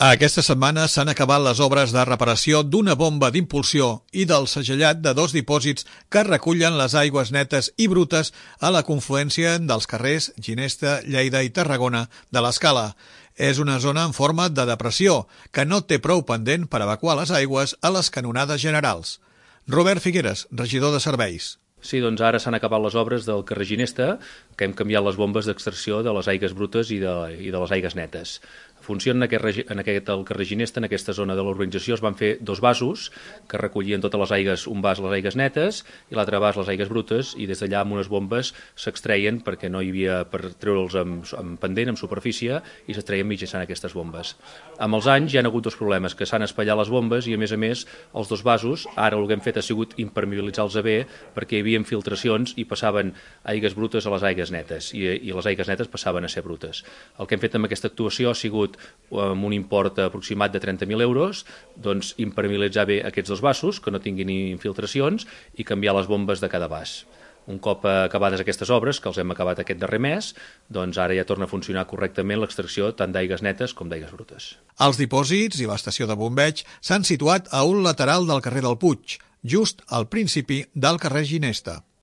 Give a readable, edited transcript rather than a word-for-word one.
Aquesta setmana s'han acabat les obres de reparació d'una bomba d'impulsió i del segellat de 2 dipòsits que recullen les aigües netes i brutes a la confluència dels carrers Ginesta, Lleida i Tarragona de l'Escala. És una zona en forma de depressió que no té prou pendent per evacuar les aigües a les canonades generals. Robert Figueres, regidor de Serveis. Sí, doncs ara s'han acabat les obres del carrer Ginesta, que hem canviat les bombes d'extracció de les aigues brutes i de les aigues netes. Funciona el carrer Ginesta, en aquesta zona de l'urbanització, es van fer 2 vasos que recollien totes les aigues, un vas les aigues netes i l'altre vas les aigues brutes, i des d'allà amb unes bombes s'extreien perquè no hi havia per treure'ls amb pendent, amb superfície, i s'extreien mitjançant aquestes bombes. Amb els anys hi ha hagut 2 problemes, que s'han espatllat les bombes i a més els 2 vasos, ara el que hem fet ha sigut impermeabilitzar-los bé perquè hi havia infiltracions i passaven aigues brutes a les aigues netes i les aigues netes passaven a ser brutes. El que hem fet amb aquesta actuació ha sigut amb un import aproximat de 30.000 euros, doncs impermeabilitzar bé aquests 2 vasos, que no tinguin infiltracions, i canviar les bombes de cada vas. Un cop acabades aquestes obres, que els hem acabat aquest darrer mes, doncs ara ja torna a funcionar correctament l'extracció tant d'aigues netes com d'aigues brutes. Els dipòsits i l'estació de bombeig s'han situat a un lateral del carrer del Puig, just al principi del carrer Ginesta.